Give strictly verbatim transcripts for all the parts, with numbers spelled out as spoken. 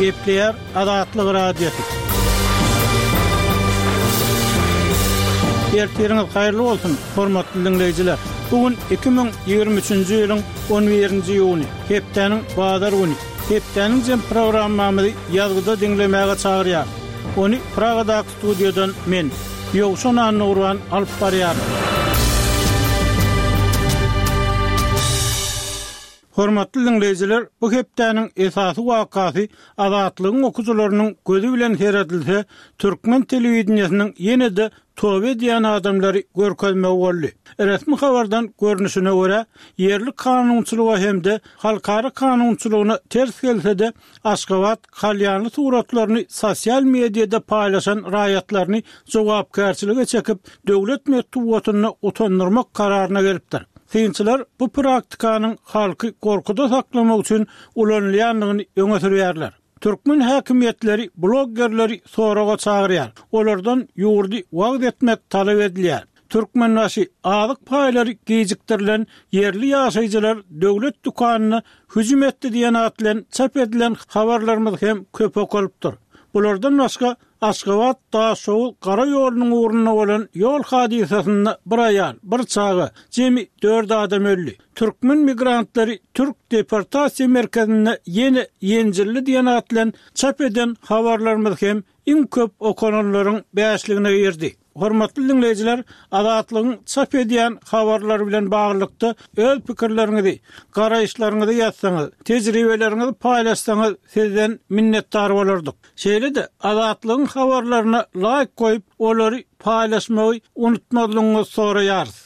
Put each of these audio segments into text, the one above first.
Gepleýär Azatlyk Radiosy. Ertiriňiz haýyrly bolsun, hormatly diňleýjiler. Bu gün iki müň ýigrimi üçünji ýylyň on birinji iýuny, hepdäniň bazar güni. Hepdäniň jem programmamyzy ýazgyda diňlemäge çagyrýar. Ony Pragadaky studiýadan men, Ýowşan Annagurban alyp barýaryn. Hormatly diňleýjiler, bu hepdäniň esasy wakasy Azatlygyň okyjylarynyň gözi bilen seredilse, türkmen telewideniýesiniň ýene-de toba edýän adamlary görkezmegi boldy. Resmi habardan görnüşine görä, ýerli kanunçylyga hem-de halkara kanunçylygyna ters gelse-de, Aşgabat kalýanly suratlaryny sosial mediada paýlaşan raýatlaryny jogapkärçilige çekip, döwlet metbugatynda utandyrmak kararyna gelipdir. Synçylar bu praktikanyň halky gorkuda saklamak üçin ulanylýandygyny öňe sürýärler. Türkmen häkimiýetleri bloggerleri soraga çagyrýar. Olardan ýurdy wagt etmek talap edilýär. Türkmenbaşy azyk paýlary geciktirilen ýerli ýaşaýjylar döwlet dükanyna hüjüm etdi diýen at bilen çap edilen habarlarymyz hem köp okalypdyr. Bulardan başga Aşgabat Daşoguz gara ýolunyň ugrunda bolan ýol hadysasynda bir aýal, bir çaga, jemi dört adam öldi. Türkmen migrantlary Türk deportasiýa merkezinde ýene ýenjilli diýen at bilen çap eden habarlarymyz hem iň köp okananlaryň bäşligine girdi. Hormatly diňleýjiler, Azatlygyň çap edýän habarlary bilen baglylykda öz pikirleriňizi, garaýyşlaryňyzy ýazsaňyz, tejribeleriňizi paýlaşsaňyz sizden minnetdar bolardyk. Şeýle-de Azatlygyň habarlaryna like goýup, olary paýlaşmagy unutmazlygyňyzy soraýarys.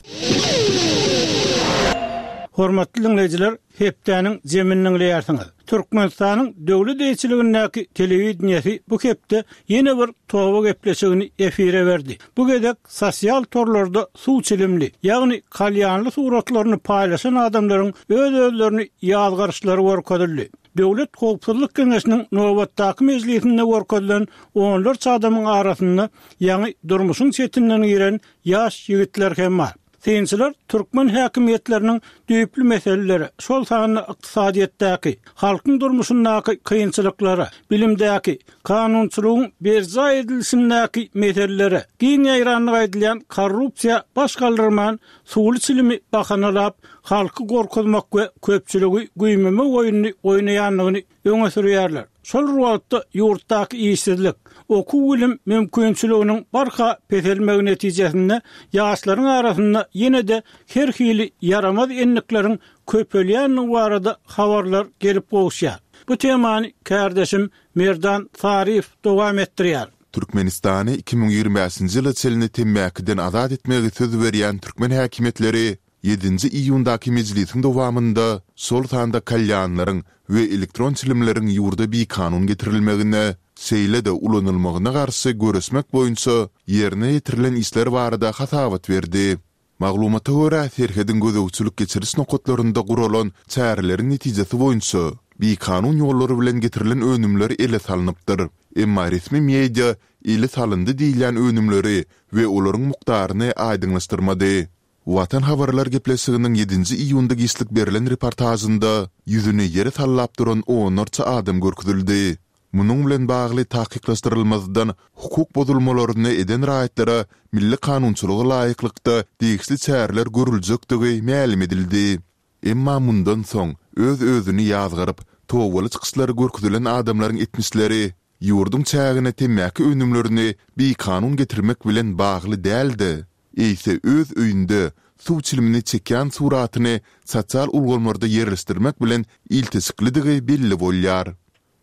Hormatly diňleýjiler, hepdäniň zemini diňleýärsiňiz. Türkmenistanyň döwlet eýeçiligindäki telewideniýesi bu hepde ýene bir toba gepleşigini efire berdi. Bu gezek sosial torlarda suw çilimli, ýagny kalýanly suratlaryny paýlaşan adamlaryň öz-özlerini ýazgaryşlary görkezildi. Döwlet Howpsuzlyk Geňeşiniň nobatdaky mejlisinde görkezilen onlarça adamyň arasynda ýaňy durmuşyň çetinden giren ýaş ýigitler hem bar. Synçylar türkmen häkimiýetleriniň düýpli meseleleri, şol sanda ykdysadyýetdäki, halkyň durmuşyndaky kynçylyklara, bilimdäki, kanunçylygyň berjaý edilişindäki meselelere, giň ýaýranlyk aýdylýan korrupsiýa baş galdyrman, suwly çilimi bahanalap, halky gorkuzmak we köpçüligi güýmemek oýnuny oýnaýandygyny öňe sürýärler. Şol wagtda ýurtdaky işsizlik, okuw bilim mümkinçiliginiň barha peselmegi netijesinde ýaşlaryň arasynda ýene-de her hili ýaramaz endikleriň köpelýändigi barada habarlar gelip gowuşýar. Bu temany kardeşim Merdan Saryýew dowam etdirýär. Türkmenistany iki müň ýigrimi bäşinji ýyla çenli temmäkiden azat etmegi söz berýän türkmen häkimiýetleri ýedinji iýundaky mejlisiň dowamynda şol sanda kalýanlaryň we elektron çilimleriň ýurda bikanun getirilmegine, şeýle-de ulanylmagyna garşy göreşmek boýunça ýerine ýetirilen işler barada hasabat berdi. Maglumata görä, serhediň gözegçilik geçiriş nokatlarynda guralan çäreleriň netijesi boýunça bikanun ýollar bilen getirilen önümler ele salnypdyr. Emma resmi media ele salyndy diýilýän önümleri we olaryň mukdaryny aýdyňlaşdyrmady. Watan habarlar gepleşiginiň ýedinji iýunda giçlik berlen reportažynda ýüzüni ýere sallap duran onlarça adam görkezildi. Munuň bilen bagly takyklaşdyrylmazdan hukuk bozulmalaryny eden raýatlara milli kanunçylyga laýyklykda degişli çäreler görüljekdigi mälim edildi. Emma mundan soň öz-özüni ýazgaryp, tobaly çykyşlary görkezilen adamlaryň etmişleri ýurduň çägine temmäki önümlerini bikanun getirmek bilen bagly däl-de, eýse öz öýünde suw çilimini çekýän suratyny sosial ulgamlarda ýerleşdirmek bilen ilteşiklidigi belli bolýar.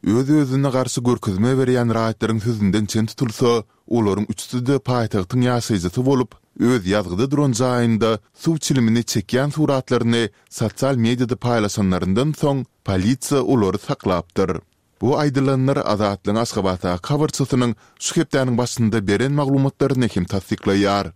Öz-özüne garşy görkezme berýän raýatlaryň sözünden çen tutulsa, olaryň üçüsi-de paýtagtyň ýaşaýjysy bolup, öz ýazgyda duran jaýynda suw çilimini çekýän suratlaryny sosial mediada paýlaşanlaryndan soň, polisiýa olary saklapdyr. Bu aýdylanlar Azatlygyň Aşgabatdaky habarçysynyň şu hepdäniň başynda beren maglumatlaryny hem tassyklaýar.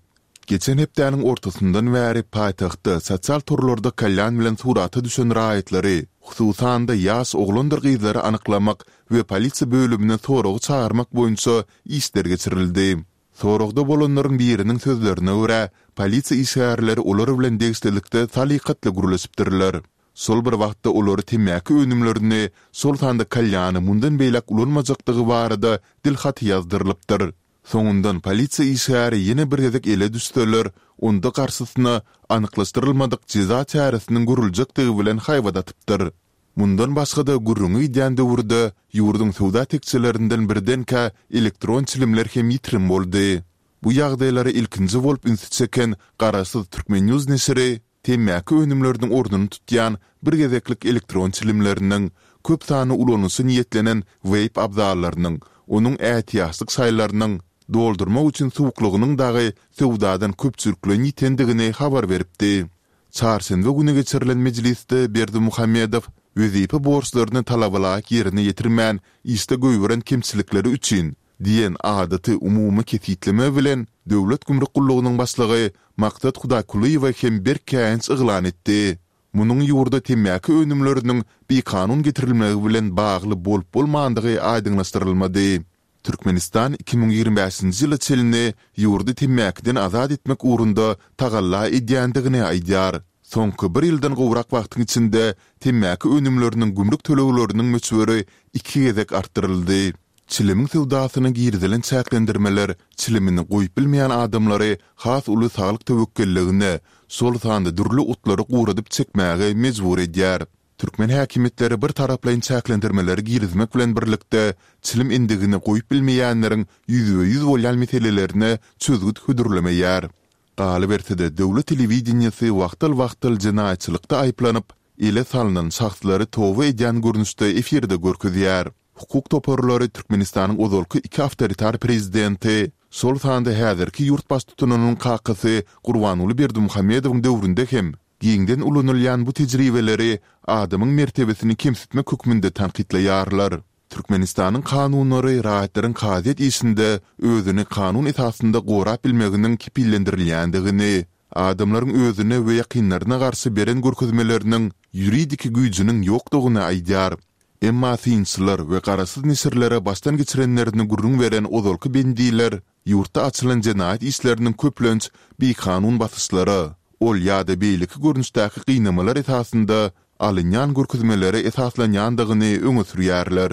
Geçen hepdäniň ortasyndan bäri paýtagtda sosial torlarda kalýan bilen surata düşen raýatlary, hususan-da ýaş oglandyr gyzlary anyklamak we polisiýa bölümine soraga çagyrmak boýunça işler geçirildi. Soragda bolanlaryň biriniň sözlerine görä, polisiýa işgärleri olar bilen degişlilikde salykatly gürleşipdirler. Şol bir wagtda olary temmäki önümlerini, şol sanda kalýany mundan beýläk ulanmajakdygy barada dilhaty ýazdyrylypdyr. Soňundan polisiýa işgäri ýene bir gezek ele düşseler, onda garşysyna anyklaşdyrylmadyk jeza çäresiniň görüljekdigi bilen haýbat atypdyr. Mundan başga-da gürrüňi gidýän döwürde ýurduň söwda tekjelerinden birdenkä elektron çilimler hem ýitirim boldy. Bu ýagdaýlara ilkinji bolup ünsi çeken garaşsyz Turkmennews neşiri temmäki önümleriniň ornuny tutýan bir gezeklik elektron çilimleriniň, köp sanly ulanyşa niýetlenen weýp abzallarynyň, onuň ätiýaçlyk şaýlarynyň, doldurmak üçin suwuklygynyň dagy söwdadan köpçülikleýin ýitendigini habar beripdi. Çarşenbe güni geçirilen mejlisde Berdimuhamedow wezipe borçlaryny talabalaýyk ýerine ýetirmän işde goýberen kemçilikleri üçin diýen adaty umumy kesgitleme bilen Döwlet gümrük gullugynyň başlygy Maksat Hudaýkulyýewe hem berk käýinç yglan etdi. Munuň ýurda temmäki önümleriniň bikanun getirilmegi bilen bagly bolup-bolmandygy aýdyňlaşdyrylmady. Türkmenistan iki müň ýigrimi bäşinji ýyla çenli ýurdy temmäkiden azat etmek ugrunda tagalla edýändigini aýdýar. Soňky bir ýyldan gowrak wagtyň içinde temmäki önümleriniň gümrük tölegleriniň möçberi iki gezek artdyryldy. Çilimiň söwdasyna girizilen çäklendirmeler çilimini goýup bilmeýän adamlary has uly saglyk töwekgelligine, şol sanda dürli otlary guradyp çekmäge mejbur edýär. Türkmen häkimiýetleri bir taraplaýyn çäklendirmeleri girizmek bilen birlikde, çilim endigini goýup bilmeýänleriň ýüzbe-ýüz bolýan meselelerine çözgüt hödürlemeýär. Galyberse-de, döwlet telewideniýesi wagtal-wagtal jenaýatçylykda aýyplanyp, ele salnan şahslary toba edýän görnüşde efirde görkezýär. Hukuk toparlary Türkmenistanyň ozalky iki awtoritar prezidenti, şol sanda häzirki ýurt baştutanynyň kakasy Gurbanguly Berdimuhamedowyň döwründe hem giňden ulanylýan bu tejribeleri adamyň mertebesini kemsitmek hökmünde tankytlaýarlar. Türkmenistanyň kanunlary raýatlaryň kazyýet işinde özüni kanun esasynda gorap bilmeginiň kepillendirilýändigini, adamlaryň özüne we ýakynlaryna garşy beren görkezmeleriniň ýuridiki güýjüniň ýokdugyny aýdýar. Emma synçylar we garaşsyz neşirlere başdan geçirenlerini gürrüň beren ozalky bendiler ýurtda açylan jenaýat işleriniň köplenç bikanun basyşlara, ol ýa-da beýleki görnüşdäki gynamalar esasynda alynýan görkezmelere esaslanýandygyny öňe sürýärler.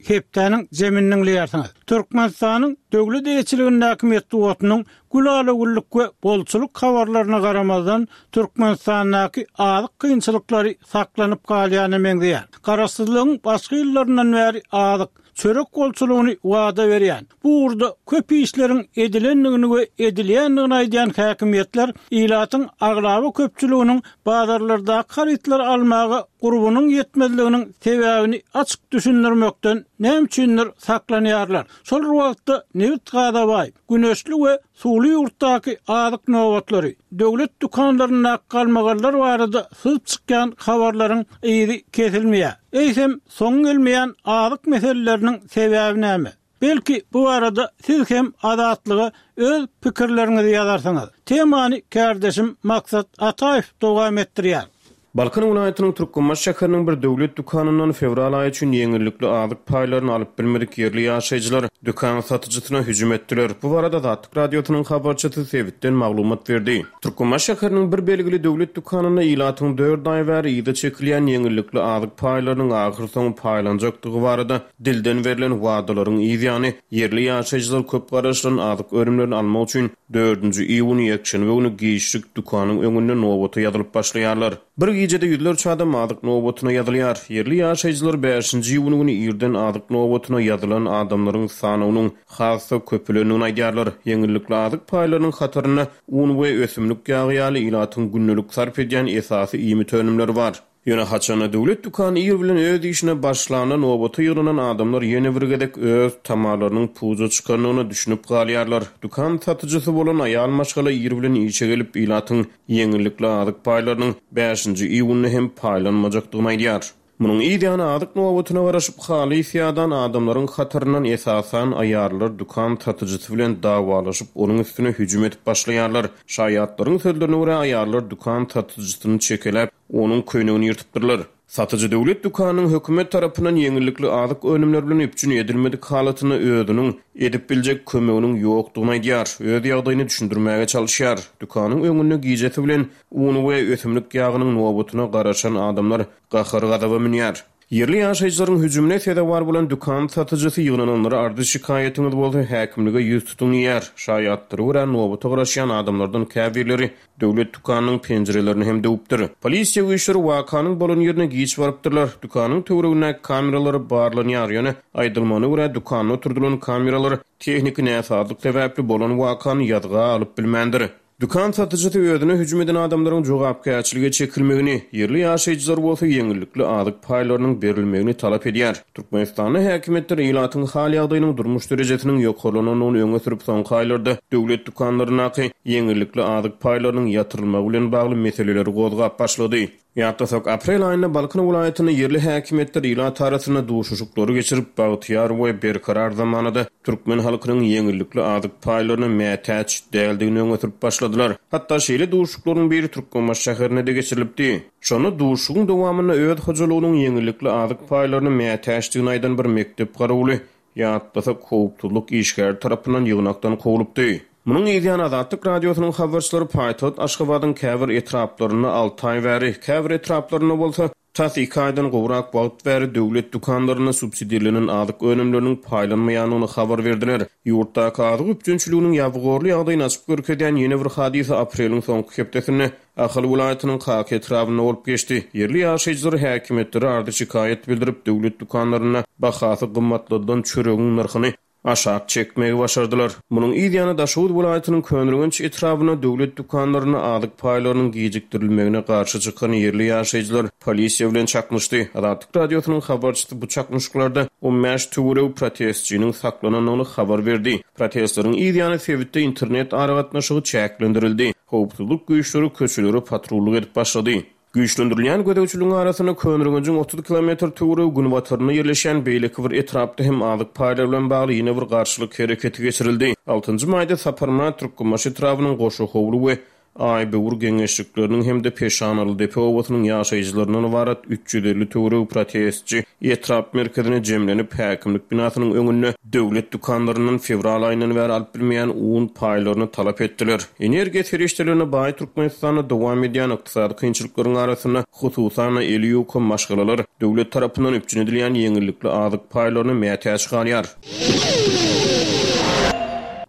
Hepdäniň jemini diňleýärsiňiz. Türkmenistanyň döwlet eýeçiligindäki metbugatynyň gülala-güllük we bolçulyk habarlaryna garamazdan, Türkmenistandaky azyk kynçylyklary saklanyp galýana meňzeýär. Garaşsyzlygyň başky ýyllaryndan bäri azyk, çörek bolçulygyny wada berýän, bu ugurda köp işleriň edilendigini we edilýändigini aýdýan häkimiýetler ilatyň aglaba köpçüliginiň bazarlardaky harytlary almaga gurbunyň ýetmezliginiň sebäbini açyk düşündirmekden näme üçindir saklanýarlar. Şol bir wagtda nebit-gaza baý, güneşli we suwly ýurtdaky azyk nobatlary, döwlet dükanlaryndaky galmagallar barada syzyp çykýan habarlaryň yzy kesilmeýär. Eýsem, soňy gelmeýän azyk meseleleriniň sebäbi näme? Belki, bu barada siz hem Azatlyga öz pikirleriňizi ýazarsyňyz. Temany kärdeşim Maksat Ataýew dowam etdirýär. Balkan welaýatynyň Türkmenbaşy şäheriniň bir döwlet dükanyndan fewral aýy üçin ýeňillikli azyk paýlaryny alyp bilmedik ýerli ýaşaýjylar dükan satyjysyna hüjüm etdiler. Bu barada Azatlyk Radiosynyň habarçysy sebitden maglumat berdi. Türkmenbaşy şäheriniň bir belgili döwlet dükanynda ilatyň dört aý bäri yza çekilýän ýeňillikli azyk paýlarynyň ahyrsoňy paýlanjakdygy barada dilden berlen wadalaryň yz ýany, ýerli ýaşaýjylar köp garaşylan azyk önümlerini almak üçin dördünji iýun ýekşenbe güni giçlik dükanyň öňünde nobata ýazylyp başlaýarlar. Bir gijede ýüzlerçe adam azyk nobatyna ýazylýar. Ýerli ýaşaýjylar bäşinji iýun güni irden azyk nobatyna ýazylan adamlaryň sanynyň has-da köpelendigini aýdýarlar. Ýeňillikli azyk paýlarynyň hatarynda un we ösümlik ýagy ýaly ilatyň gündelik sarp edýän esasy iýmit önümleri bar. Ýöne haçanda döwlet dükany ir bilen öz işine başlanda nobata ýygnanan adamlar ýene bir gezek öz tamalarynyň puja çykandygyna düşünip galýarlar. Dükan satyjysy bolan aýal maşgala ir bilen işe gelip, ilatyň ýeňillikli azyk paýlarynyň bäşinji iýunda hem paýlanmajakdygyny aýdýar. Munuň yz ýany azyk nobatyna garaşyp halys ýadan adamlaryň hataryndan esasan aýallar dükan satyjysy bilen dawalaşyp, onuň üstüne hüjüm edip başlaýarlar. Şaýatlaryň sözlerine görä, aýallar dükan satyjysyny çekeläp, onuň köýnegini ýyrtypdyrlar. Satyjy döwlet dükanynyň hökümet tarapyndan ýeňillikli azyk önümleri bilen üpjün edilmedik halatynda özüniň edip biljek kömeginiň ýokdugyny aýdýar, öz ýagdaýyny düşündirmäge çalyşýar. Dükanyň öňünde gijesi bilen un we ösümlik ýagynyň nobatyna garaşan adamlar gahar-gazaba münýär. Ýerli ýaşaýjylaryň hüjümine sezewar bolan dükan satyjysy ýygnananlara arzy-şikaýatyňyz bolsa häkimlige ýüz tutuň diýýär. Şaýatlara görä, nobata garaşýan adamlardan käbirleri döwlet dükanynyň penjirelerini hem döwüpdir. Polisiýa güýçleri wakanyň bolan ýerine giç barypdyrlar. Dükanyň töweregindäki kameralar barlanýar. Ýöne aýdylmagyna görä, dükanda oturdylan kameralar tehniki näsazlyk sebäpli bolan wakany ýazga alyp bilmändir. Dükan satyjysy özüne hüjüm eden adamlaryň jogapkärçilige çekilmegini, ýerli ýaşaýjylar bolsa ýeňillikli azyk paýlarynyň berilmegini talap edýär. Türkmenistanda häkimiýetler ilatyň hal ýagdaýynyň durmuş derejesiniň ýokarlanandygyny öňe sürüp, soňky aýlarda döwlet dükanlaryndaky ýeňillikli azyk paýlarynyň ýatyrylmagy bilen bagly meseleleri gozgap başlady. Ýatlasak, aprel aýynda Balkan welaýatynda ýerli häkimiýetler ilat arasynda duşuşyklary geçirip, bagtyýar we berkarar zamanada türkmen halkynyň ýeňillikli azyk paýlaryna mätäç däldigini öňe sürüp başladylar. Hatda şeýle duşuşyklaryň biri Türkmenbaşy şäherinde-de geçirilipdi. Şonda duşuşygyň dowamynda öz hojalygynyň ýeňillikli azyk paýlaryna mätäçdigini aýdan bir mekdep garawuly ýatlasak, howpsuzlyk işgäri tarapyndan ýygnakdan kowlupdy. Munuň yzýany Azatlyk Radiosynyň habarçylary paýtagt Aşgabadyň käbir etraplarynda alty aý bäri, käbir etraplarynda bolsa tas iki aýdan gowrak wagt bäri döwlet dükanlarynda subsidirlenen azyk önümleriniň paýlanmaýandygyny habar berdiler. Ýurtdaky azyk üpjünçiliginiň ýabygorly ýagdaýyny açyp görkezýän ýene bir hadysa apreliň soňky hepdesinde Ahal welaýatynyň Kaka etrabynda bolup geçdi. Ýerli ýaşaýjylar häkimiýetlere arzy-şikaýat bildirip, döwlet dükanlarynda bahasy gymmatladylan çöregiň nyrhyny aşak çekmegi başardylar. Munuň yzýany Daşoguz welaýatynyň Köneürgenç etrabynda döwlet dükanlarynda azyk paýlarynyň gijikdirilmegine garşy çykan ýerli ýaşaýjylar polisiýa bilen çaknyşdy. Azatlyk Radiosynyň habarçysy bu çaknyşyklarda on bäş töweregi protestçiniň saklanandygyny habar berdi. Protestleriň yzýany sebitde internet aragatnaşygy çäklendirildi. Howpsuzlyk güýçleri köçelere patrullyk edip başlady. Güýçlendirilýän gözegçiligiň arasynda Köneürgenjiň otuz kilometr töweregi günbatarynda ýerleşýän beýleki bir etrapda hem azyk paýlary bilen bagly ýene bir garşylyk hereketi geçirildi. Altynjy maýda Saparmyrat Türkmenbaşy etrabynyň Goşahowly we Aýböwür geňeşlikleriniň hem-de Peşanalydepe obasynyň ýaşaýjylaryndan ybarat üç ýüz elli töweregi protestçi etrap merkezine jemlenip, häkimlik binasynyň öňünde döwlet dükanlaryndan fewral aýyndan bäri alyp bilmeýän un paýlaryny talap etdiler. Energiýa serişdelerine baý Türkmenistanda dowam edýän ykdysady kynçylyklaryň arasynda hususan eli ýuka maşgalalar döwlet tarapyndan üpjün edilýän ýeňillikli azyk paýlaryna mätäç galýar.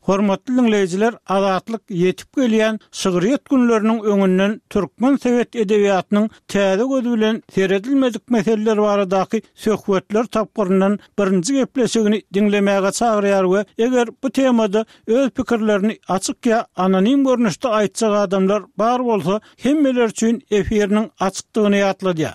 Hormatly dinleýjiler, Azatlyk ýetip gelýän şygryýet günleriniň öňünden türkmen sowet edebiýatynyň täze gözi bilen seredilmedik meseleler baradaky söhbetler tapgyryndan birinji gepleşigini diňlemäge çagyrýar we eger bu temada öz pikirlerini açyk ýa anonim görnüşde aýtjak adamlar bar bolsa, hemmeler üçin efiriniň açykdygyny ýatladýar.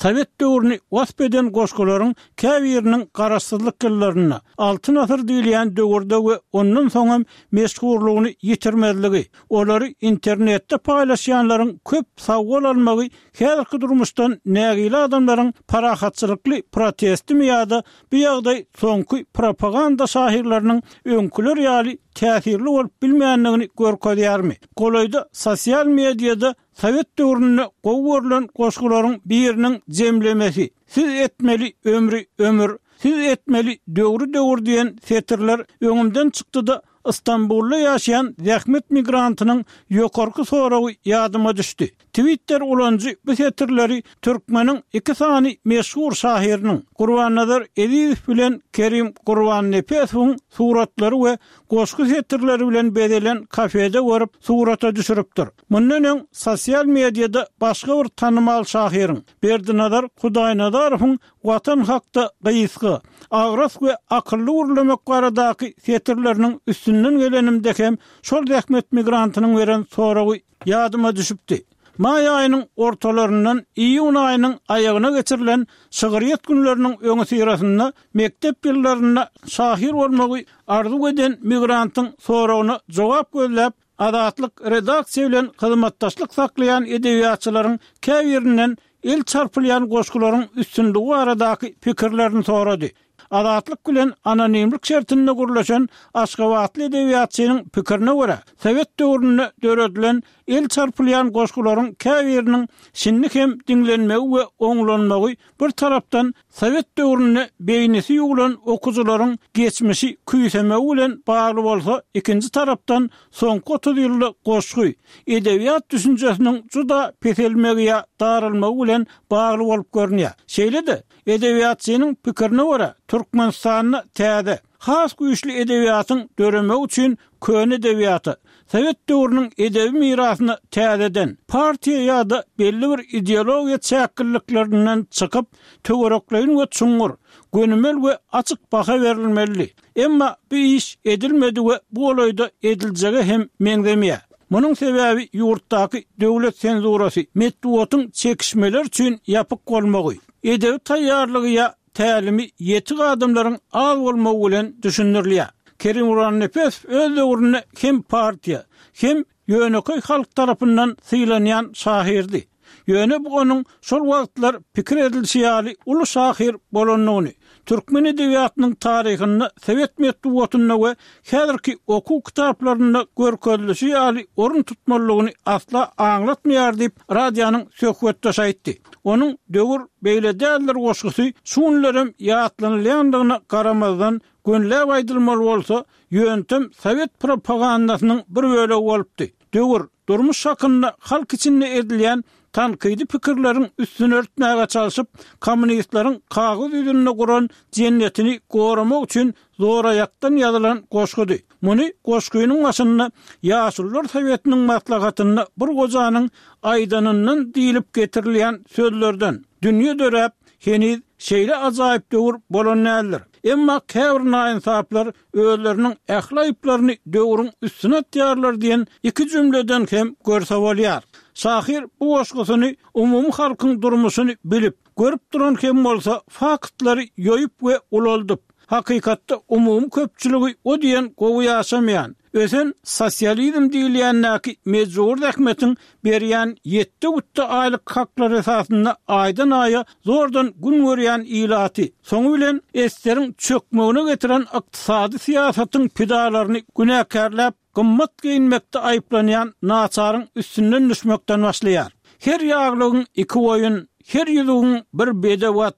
Sowet döwrüni wasp eden goşgularyň käbiriniň garaşsyzlyk ýyllarynda altyn asyr diýilýän döwürde we ondan soňam meşhurlygyny ýitirmezligi, olary internetde paýlaşýanlaryň köp sawol almagy häzirki durmuşdan nägile adamlaryň parahatçylykly protestimi ýa-da bu ýagdaý soňky propaganda şahyrlarynyň öňküler ýaly täsirli bolup bilmeýändigini görkezýärmi? Golaýda sosial mediada Sowet döwründe gowy görülen goşgularyň biriniň jemlemesi Siz etmeli ömri ömür, siz etmeli döwri döwür diýen setirler öňümden çykdy-da Istanbulda ýaşaýan zähmet migrantynyň ýokarky soragy ýadyma düşdi. Twitter ulanyjy bu setirleri türkmeniň iki sany meşhur şahyrynyň Gurbannazar Ezizow bilen Kerim Gurbannepesowyň suratlary we goşgy setirleri bilen bezelen kafede görüp surata düşüripdir. Mundan öň sosial mediada başga bir tanymal şahyryň Berdinazar Hudaýnazarowyň Watan hakda gysga, agras we akylly gürlemek baradaky setirleriniň üstünden gelenimde hem şol zähmet migrantynyň beren soragy ýadyma düşüpdi. Maý aýynyň ortalaryndan iýun aýynyň aýagyna geçirilen şygryýet günleriniň öňüsyrasynda mekdep ýyllarynda şahyr bolmagy arzuw eden migrantyň soragyna jogap gözläp, Azatlyk redaksiýa bilen hyzmatdaşlyk saklaýan edebiýatçylaryň käbirinden el çarpylýan goşgularyň üstünligi baradaky pikirlerini sorady. Azatlyk bilen anonimlik şertinde gürleşen Aşgabatly edebiýatçynyň pikirine görä, sowet döwründe döredilen El çarpylýan goşgularyň käbiriniň şindi hem diňlenmegi we oňlanmagy bir tarapdan sowet döwründe beýnisi ýuwlan okyjylaryň geçmişi küýsemegi bilen bagly bolsa, ikinji tarapdan soňky otuz ýylda goşgy, edebiýat düşünjesiniň juda peselmegi ýa daralmagy bilen bagly bolup görünýär. Şeýle-de, edebiýatçynyň pikirine görä, Türkmenistanda täze, has güýçli edebiýatyň döremegi üçin köne edebiýata, sowet döwrüniň edebi mirasyna täzeden, partiýa ýa-da belli bir ideologiýa çäkliklerinden çykyp, töwerekleýin we çuňňur, gönümel we açyk baha berilmelidi. Emma bu iş edilmedi we bu golaýda ediljege hem meňzemeýär. Munuň sebäbi ýurtdaky döwlet senzurasy, metbugatyň çekişmeler üçin ýapyk bolmagy, edebi taýýarlygy ýa tälimi ýetik adamlaryň az bolmagy bilen düşündirilýär. Kerim Gurbannepesow öz döwründe hem partiýa, hem ýönekeý halk tarapyndan sylanýan şahyrdy. Ýöne bu onuň şol wagtlar pikir edilişi ýaly uly şahyr bolandygyny, türkmen edebiýatynyň taryhynda sowet metbugatynda we häzirki okuw kitaplarynda görkezilişi ýaly orun tutmalydygyny asla aňlatmaýar diýip, radionyň söhbetdeşi aýtdy. Onuň Döwür beýle däldir goşgusy şu günlerem ýatlanylýandygyna garamazdan, gönüläp aýdylmaly bolsa, ýöntem sowet propagandasynyň bir bölegi bolupdy. Döwür, durmuş hakynda halk içinde edilýän tankydy pikirleriň üstüni örtmäge çalşyp, kommunistleriň kagyz ýüzünde guran jennetini goramak üçin zoraýakdan ýazylan goşgudy. Muny goşgynyň başynda Ýaşulular sowetiniň maslahatynda bir gojanyň aýdanyndan diýlip getirilýän sözlerden, Dünýe döräp, heniz şeýle ajaýyp döwür bolan däldir. Emma käbir naýynsaplar özleriniň ähli aýyplaryny döwrüň üstüne atýarlar diýen iki jümleden hem görse bolýar. Şahyr bu goşgusyny umumy halkyň durmuşyny bilip, görüp duran hem bolsa faktlary ýoýup we ulaldyp, hakykatda umumy köpçüligi o diýen gowy ýaşamaýan, ösen sosializm diýilýändäki mejbury zähmetiň berýän ýetde-gütde aýlyk haklary esasynda aýdan-aýa zordan gün görýän ilaty, soňy bilen eseriň çökmegine getiren ykdysady syýasatyň pidalaryny günäkärläp, gymmat geýinmekde aýyplanýan naçaryň üstünden düşmekden başlaýar. Her ýaglygyň iki goýun, her ýüzügiň bir bedew at,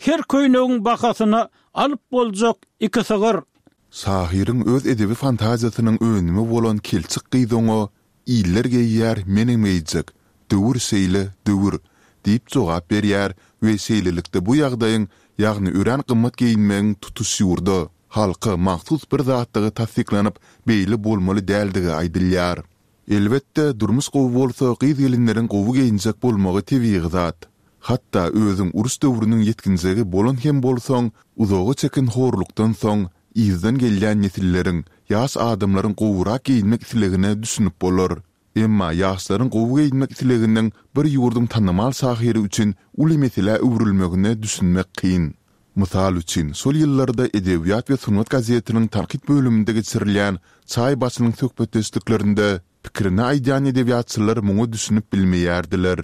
her köýnegiň bahasyna alyp boljak iki sygyr. Şahyryň öz edebi fantaziýasynyň önümi bolan Kelçik gyz oňa, Iller geýýär, menem geýjek, döwür şeýle, döwür! diýip jogap berýär we şeýlelikde bu ýagdaýyň, ýagny örän gymmat geýinmegiň tutuş ýurda, halka mahsus bir zatdygy tassyklanyp, beýle bolmaly däldigi aýdylýar. Elbetde, durmuş gowy bolsa gyz-gelinleriň gowy geýinjek bolmagy tebigy zat. Hatda özüň uruş döwrüniň ýetginjegi bolan hem bolsaň, uzaga çeken horlukdan soň, yzdan gelýän nesilleriň, ýaş adamlaryň gowurak geýinmek islegine düşünip bolar. Emma ýaşlaryň gowy geýinmek isleginiň bir ýurduň tanymal şahyry üçin uly meselä öwrülmegine düşünmek kyn. Mysal üçin, şol ýyllarda Edebiýat we sungat gazetiniň tankyt bölüminde geçirilýän çaý başynyň söhbetdeşliklerinde pikirini aýdýan edebiýatçylar muňa düşünip bilmeýärdiler.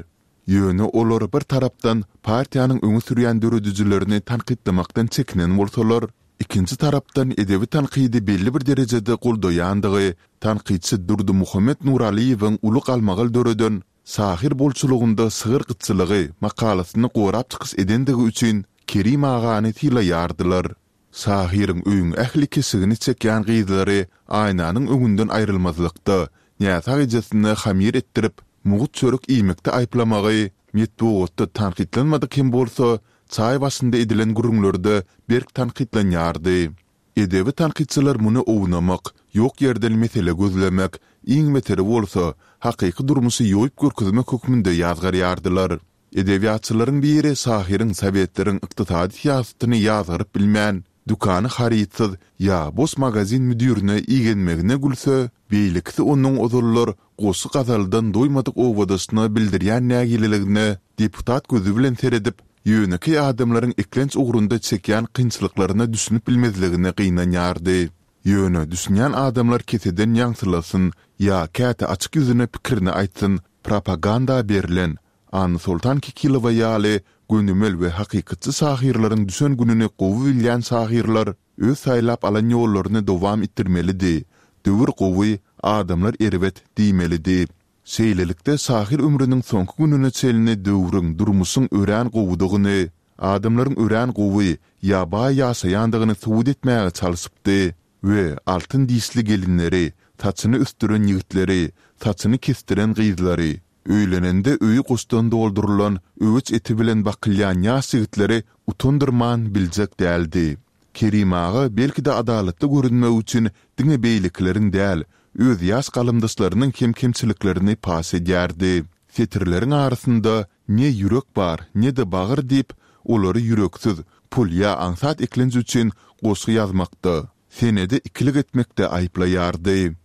Ýöne olar bir tarapdan partiýanyň öňe sürýän döredijilerini tankytlamakdan çekinen bolsalar, ikinji tarapdan edebi tankydy belli bir derejede goldaýandygy tankytçy Durdymuhammet Nuralyýewiň uly galmagal döreden Şahyr bolçulygynda şygyr gytçylygy makalasyny gorap çykyş edendigi üçin Kerim agany sylaýardylar. Şahyryň öýüň ähli keşigini çekýän gyzlary aýnanyň öňünden aýrylmazlykda, näsag ejesine hamyr etdirip, mugt çörek iýmekde aýyplamagy metbugatda tankytlanmadyk hem bolsa, çaý başynda edilen gürrüňlerde berk tankytlanýardy. Edebi tankytçylar muny ownamak, ýok ýerden mesele gözlemek, iň beteri bolsa, hakyky durmuşy ýoýup görkezmek hökmünde ýazgarýardylar. Edebiýatçylaryň biri şahyryň sowetleriň ykdysady syýasatyny ýazgaryp bilmän, dükany harytsyz ýa boş magazin müdirine igenmegine gülse, beýlekisi onuň ozallar goşgy-gazaldan doýmadyk obadaşyna bildirýän nägileligine deputat gözi bilen seredip, ýönekeý adamlaryň eklenç ugrunda çekýän kynçylyklaryna düşünip bilmezligine gynanýardy. Ýöne düşünýän adamlar keseden ýaňsylasyn ýa käte açyk ýüzüne pikirini aýtsyn, propaganda berlen Annasoltan Kekilowa ýaly gönümel we hakykatçy şahyrlaryň düşen gününi gowy bilýän şahyrlar öz saýlap alan ýollaryny dowam etdirmelidi, döwür gowy, adamlar erbet diýmelidi. Şeýlelikde, şahyr ömrüniň soňky gününe çenli döwrüň, durmuşyň örän gowudygyny, adamlaryň örän gowy ýa baý ýaşaýandygyny subut etmäge çalşypdy we altyn dişli gelinleri, saçyny ösdüren ýigitleri, saçyny kesdiren gyzlary, öýlenende öýi goşdan doldurylan öweç eti bilen bakylýan ýaş ýigitleri utandyrman biljek däldi. Kerim aga belki-de adalatly görünmek üçin diňe beýlekileriň däl, öz ýaş galamdaşlarynyň hem kemçiliklerini paş edýärdi. Setirleriň arasynda ne ýürek bar, ne-de bagyr diýip, olary ýüreksiz, pul ýa aňsat eklenç üçin goşgy ýazmakda, senede ikilik etmekde aýyplaýardy.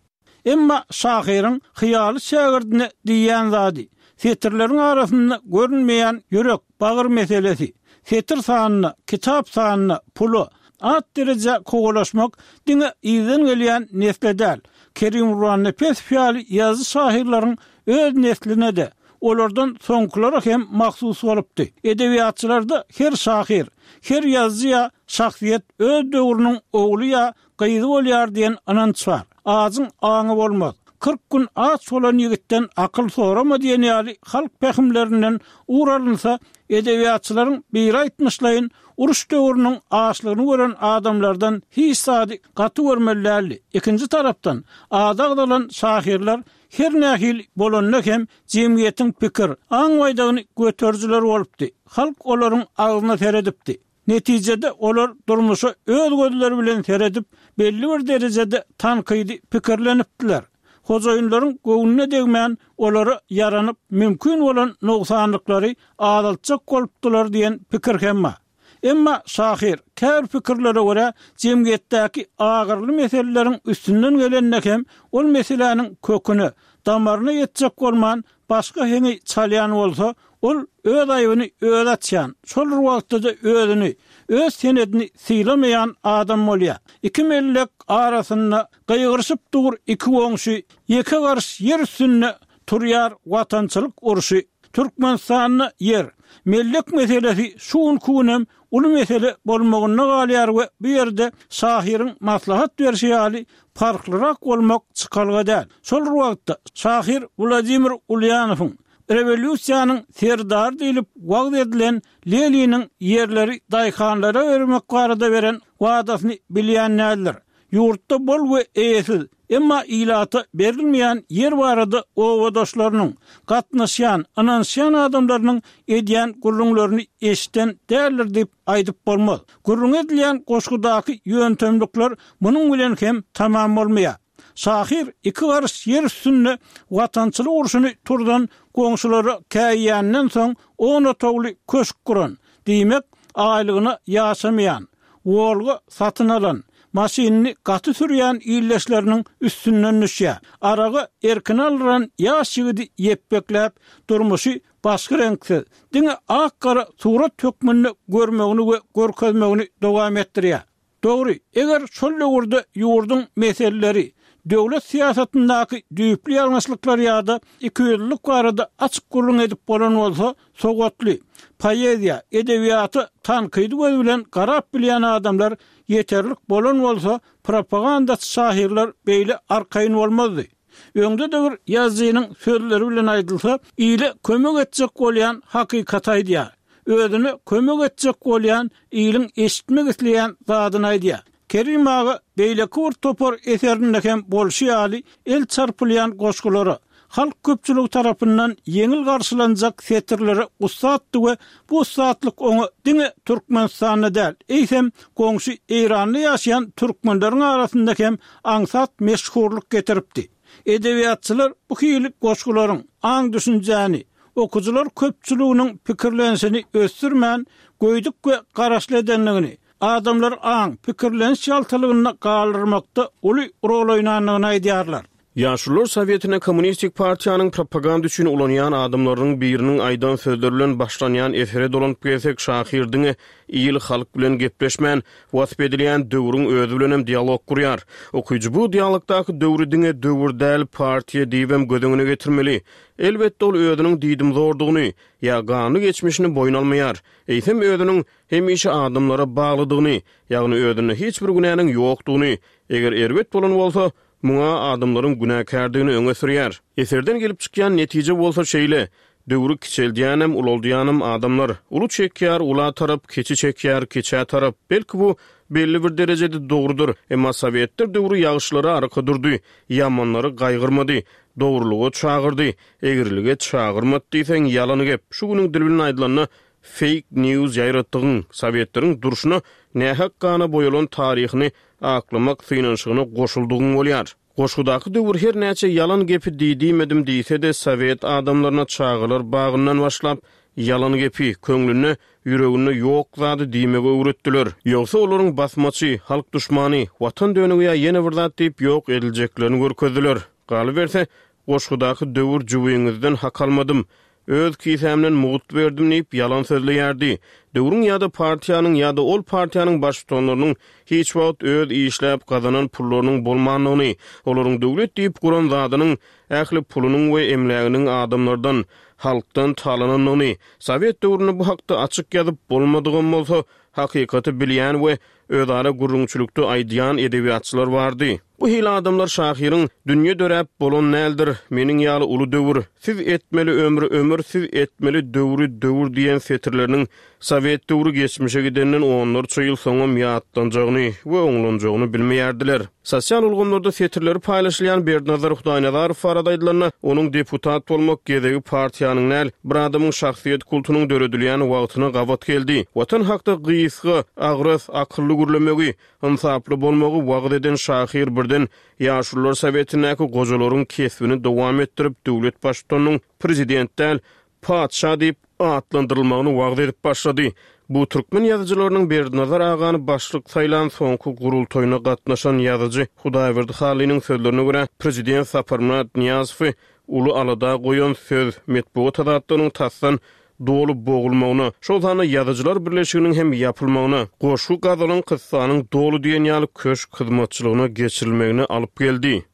Emma şahyryň hyýaly şägirdine diýýän zady, setirleriň arasynda görünmeýän ýürek, bagyr meselesi, setir sanyna, kitap sanyna, pula, at-derejä kowalaşmak diňe yzdan gelýän nesle däl, Kerim Gurbannepesow ýaly ýazyjy-şahyrlaryň öz nesline-de, olardan soňkulara hem mahsus bolupdy. Edebiýatçylarda her şahyr, her ýazyjy ýa şahsyýet öz döwrüniň ogly ýa gyzy bolýar diýen ynanç bar. Ajyň aňy bolmaz. Kyrk gün aç bolan ýigitden akyl sorama diýen ýaly halk pähimlerinden ugur alynsa, edebiýatçylaryň biri aýtmyşlaýyn, uruş döwrüniň açlygyny gören adamlardan hiç zady gaty görmeli däldi. Ikinji tarapdan, ady agzalan şahyrlar her nähili bolanda hem jemgyýetiň pikir, aň baýdagyny göterijiler bolupdy. Halk olaryň agzyna seredipdi. Netijede, olar durmuşa öz gözleri bilen seredip, belli bir derejede tankydy pikirlenipdiler. Hojaýynlaryň göwnüne degmän, olara ýaranyp, mümkin bolan nogsanlyklary azaltjak bolupdylar diýen pikir hem bar. Emma şahyr, käbir pikirlere görä, jemgyýetdäki agyrly meseleleriň üstünden gelende hem ol meseläniň köküne, damaryna ýetjek bolman, başga heňi çalýan bolsa, ol öz aýbyny özi açýan, şol bir wagtda-da özüni, öz senedini sylamaýan adam bolýar. Iki mellek arasynda gygyryşyp dur iki goňşy, ýeke garyş ýer üstünde turýar watançylyk urşy. Türkmenistanda ýer, mellek meselesi şu günki günem uly mesele bolmagynda galýar we bu ýerde şahyryň maslahat berşi ýaly parhlyrak bolmak çykalga däl. Şol bir wagtda, şahyr Wladimir Ulýanowyň Rewolýusiýanyň serdary diýlip wagyz edilen Leniniň ýerleri daýhanlara bermek barada beren wadasyny bilýän däldir. Ýurtda bol we eýesiz, emma ilata berilmeýän ýer barada obadaşlarynyň, gatnaşýan, ynanyşýan adamlarynyň edýän gürrüňlerini eşiden däldir diýip aýdyp bolmaz. Gürrüňi edilýän goşgudaky ýöntemlikler munuň bilen hem tamam bolmaýar. Şahyr iki garyş ýer üstünde watançylyk urşuny turzan goňşulara käýýänden soň on otagly köşk guran, diýmek, aýlygyna ýaşamaýan, Wolga satyn alan, maşynyny gaty sürýän ildeşleriniň üstünden düşýär. Aragy erkine aldyran ýaş ýigidi ýepbekläp, durmuşy başga reňksiz, diňe ak-gara surat hökmünde görmegini we görkezmegini dowam etdirýär. Dogry, eger şol döwürde ýurduň meseleleri, döwlet syýasatyndaky düýpli ýalňyşlyklar ýa-da ikiýüzlülik barada açyk gürrüň edip bolan bolsa, sowatly, poeziýa, edebiýata tankydy göz bilen garap bilýän adamlar ýeterlik bolan bolsa, propagandaçy şahyrlar beýle arkaýyn bolmazdy. Öňde-de bir ýazyjynyň sözleri bilen aýdylsa, ile kömek etjek bolýan hakykaty aýdýar. Özüne kömek etjek bolýan iliň eşitmek isleýän zadyny aýdýar. Kerim aga beýleki bir topar eserinde hem bolşy ýaly el çarpylýan goşgulara, halk köpçüligi tarapyndan ýeňil garşylanjak setirlere ussatdy we bu ussatlyk oňa diňe Türkmenistanda däl, eýsem, goňşy Eýranda ýaşaýan türkmenleriň arasynda hem aňsat meşhurlyk getiripdi. Edebiýatçylar bu hili goşgularyň aň-düşünjäni, okyjylar köpçüliginiň pikirlenişini ösdürmän, göýdük we garaşly edendigini, adamlary aň, pikirleniş ýaltalygynda galdyrmakda uly rol oýnandygyny aýdýarlar. Ýaşulular sowetine Kommunistik partiýanyň propaganda üçin ulanýan adamlarynyň biriniň aýdan sözleri bilen başlanýan esere dolanyp gelsek, şahyr diňe il-halk bilen gepleşmän, wasp edilýän döwrüň özi bilenem dialog gurýar. Okyjy bu dialogdaky döwri diňe döwür däl, partiýa diýibem göz öňüne getirmeli. Elbetde, ol özüniň diýdimzordugyny ýa ganly geçmişini boýun almaýar. Eýsem, özüniň hemişe adamlara baglydygyny, ýagny özünde hiç bir günäniň ýokdugyny, eger erbet bolan bolsa, muňa adamlaryň günäkärdigini öňe sürýär. Eserden gelip çykýan netije bolsa şeýle, döwri kiçeldýänem, ulaldýanam adamlar. Uly çekýär ula tarap, kiçi çekýär kiçä tarap. Belki bu belli bir derejede dogrudyr. Emma sowetler döwri ýagşylara arka durdy, ýamanlary gaýgyrmady, dogrulyga çagyrdy, egrilige çagyrmady diýseň ýalan gep. Şu günüň dili bilen aýdylanda fake news ýaýratdygyň, sowetleriň durşuna nähak gana boýalan taryhyny aklamak synanyşygyna goşuldygyň bolýar. Goşgudaky döwür her näçe ýalan gepi diýdimedim diýse-de sowet adamlaryna çagalar bagyndan başlap ýalan gepi, köňlünde, ýüreginde ýok zady diýmegi öwretdiler. Ýogsa olaryň basmaçy, halk duşmany, watan dönügi ýa ýene bir zat diýip ýok ediljeklerini görkezdiler. Galyberse, goşgudaky döwür jüwiňizden hak almadym, öz kisämden mugt berdim diýip ýalan sözleýärdi. Döwrüň ýa-da partiýanyň ýa-da ol partiýanyň baştutanlarynyň hiç wagt öz işläp gazanan pullarynyň bolmandygyny, olaryň döwlet diýip guran zadynyň ähli pulunyň we emläginiň adamlardan, halkdan talanandygyny, sowet döwründe bu hakda açyk ýazyp bolmadygam bolsa, hakykaty bilýän we özara gürrüňçilikde aýdýan edebiýatçylar bardy. Bu hili adamlar şahyryň dünýe döräp bolan däldir, meniň ýaly uly döwür, siz etmeli ömri ömür, siz etmeli döwri döwür diýen setirleriniň sowet döwri geçmişe gidenden onlarça ýyl soňam ýatlanjagyny we oňlanjagyny bilmeýärdiler. Sosial ulgamlarda setirleri paýlaşylýan Berdinazar Hudaýnazarow barada aýdylanda, onuň deputat bolmak gezegi partiýanyň däl, bir adamyň şahsyýet kultunyň döredilýän wagtyna gabat geldi. Watan hakda gysga, agras, akylly gürlemegi, ynsaply bolmagy wagyz eden şahyr birden Ýaşulular Sowetindäki gojalaryň kesbini dowam etdirip, döwlet baştutanynyň prezident däl, patyşa diýip atlandyrylmagyny wagyz edip başlady. Bu türkmen ýazyjylarynyň Berdinazar agany başlyk saýlan soňky gurultaýyna gatnaşan ýazyjy Hudaýberdi Hallynyň sözlerine görä, prezident Saparmyrat Nyýazowy uly alada goýan söz metbugat azatlygynyň tasdan doly bogulmagyna, şol sanda ýazyjylar birleşiginiň hem ýapylmagyna, goşgy gazalyň kyssanyň doly diýen ýaly köşk hyzmatçylygyna geçirilmegine alyp geldi.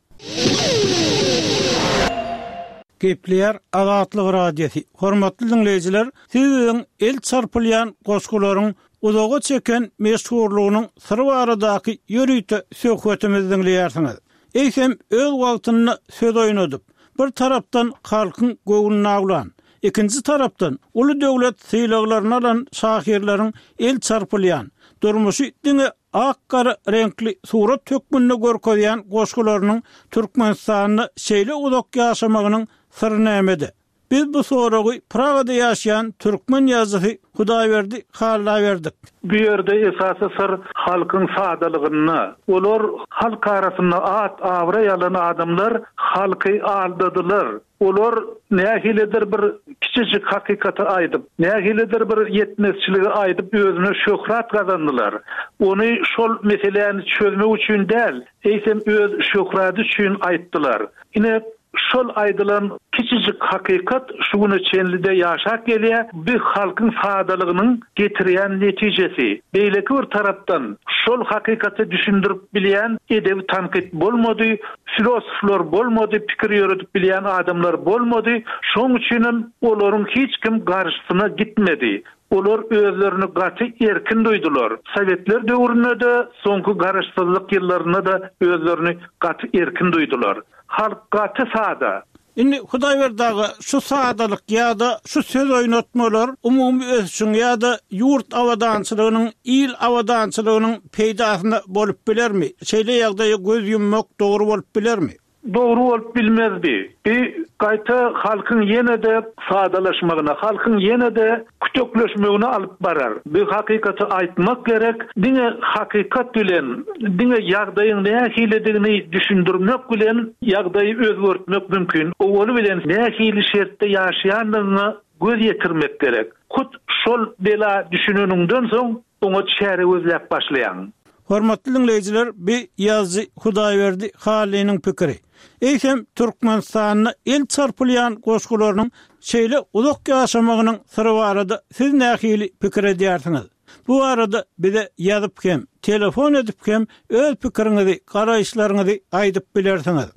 Gepleýär Azatlyk Radiosy. Hormatly diňleýjiler, siz biziň el çarpylýan goşgularyň uzaga çeken meşhurlygynyň syry baradaky ýörite söhbetimizi diňleýärsiňiz. Eýsem öz wagtynda söz oýnadyp, bir tarapdan halkyň göwnüni awlan, ikinji tarapdan uly döwlet sylaglaryny alan şahyrlaryň el çarpylýan, durmuşy diňe ak-gara reňkli surat hökmünde görkezýän goşgularynyň Türkmenistanda şeýle uzak ýaşamagynyň syry nämede? Biz bu soragy Pragada ýaşaýan türkmen ýazyjysy Hudaýberdi Halla berdik. Bu ýerde esasy syr halkyň sadalygynda. Olar halk arasynda at-abraý alan adamlar halky aldadylar. Olar nähilidir bir kiçijik hakykaty aýdyp, nähilidir bir ýetmezçiligi aýdyp özüne şöhrat gazandylar. Ony şol meseläni çözmek üçin däl, eýsem öz şöhrady üçin aýtdylar. Ine şol aýdylan kiçijik hakykat şu güne çenli-de ýaşap gelýär, bu halkyň sadalygynyň getirýän netijesi. Beýleki bir tarapdan şol hakykaty düşündirip bilýän edebi tankyt bolmady, filosoflar bolmady, pikir ýöredip bilýän adamlar bolmady. Şonuň üçinem olaryň hiç kim garşysyna gitmedi. Olar özlerini gaty erkin duýdular. Sowetler döwründe-de, soňky garaşsyzlyk ýyllarynda-da özlerini gaty erkin duýdular. Halk gaty sada. Indi Hudaýberdi aga, şu sadalyk ýa-da şu söz oýnatmalar umumy ösüşiň ýa-da ýurt abadançylygynyň, il abadançylygynyň peýdasyna bolup bilermi? Şeýle ýagdaýa göz ýummak dogry bolup bilermi? Dogry bolup bilmezdi. Bi gaýta halkyň ýene-de sadalaşmagyna, halkyň ýene-de kütekleşmegine alyp barar. Bi hakykaty aýtmak gerek, diňe hakykat bilen, diňe ýagdaýyň nähilidigini düşündirmek bilen ýagdaýy özgertmek mümkin. Owaly bilen nähili şertde ýaşaýandygyňa göz ýetirmek gerek. Hut şol bela düşüneniňden soň oňa çäre gözläp başlaýaň. Hormatly diňleýjiler, bi ýazyjy Hudaýberdi Hallynyň pikiri. Eýsem, Türkmenistanda el çarpylýan goşgularynyň şeýle uzak ýaşamagynyň syry barada siz nähili pikir edýärsiňiz? Bu barada bize ýazyp hem, telefon edip hem öz pikiriňizi, garaýyşlaryňyzy aýdyp bilersiňiz.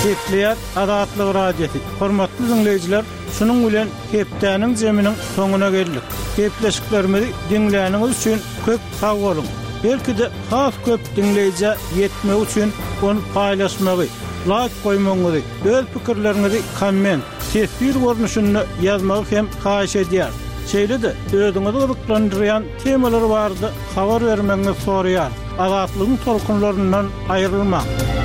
Gepleýär Azatlyk Radiosy. Hormatly diňleýjiler, şunuň bilen hepdäniň zeminiň soňuna geldik. Gepleşiklerimizi diňläniňiz üçin köp sag boluň. Belki-de has köp diňleýjä ýetmegi üçin ony paýlaşmagy, laýk goýmagyňyzy, öz pikirleriňizi komment, teswir görnüşinde ýazmagy hem haýyş edýäris. Şeýle-de özüňizi gyzyklandyrýan temalar barada habar bermegiňizi soraýarys. Azatlygyň tolkunlaryndan aýrylmaň!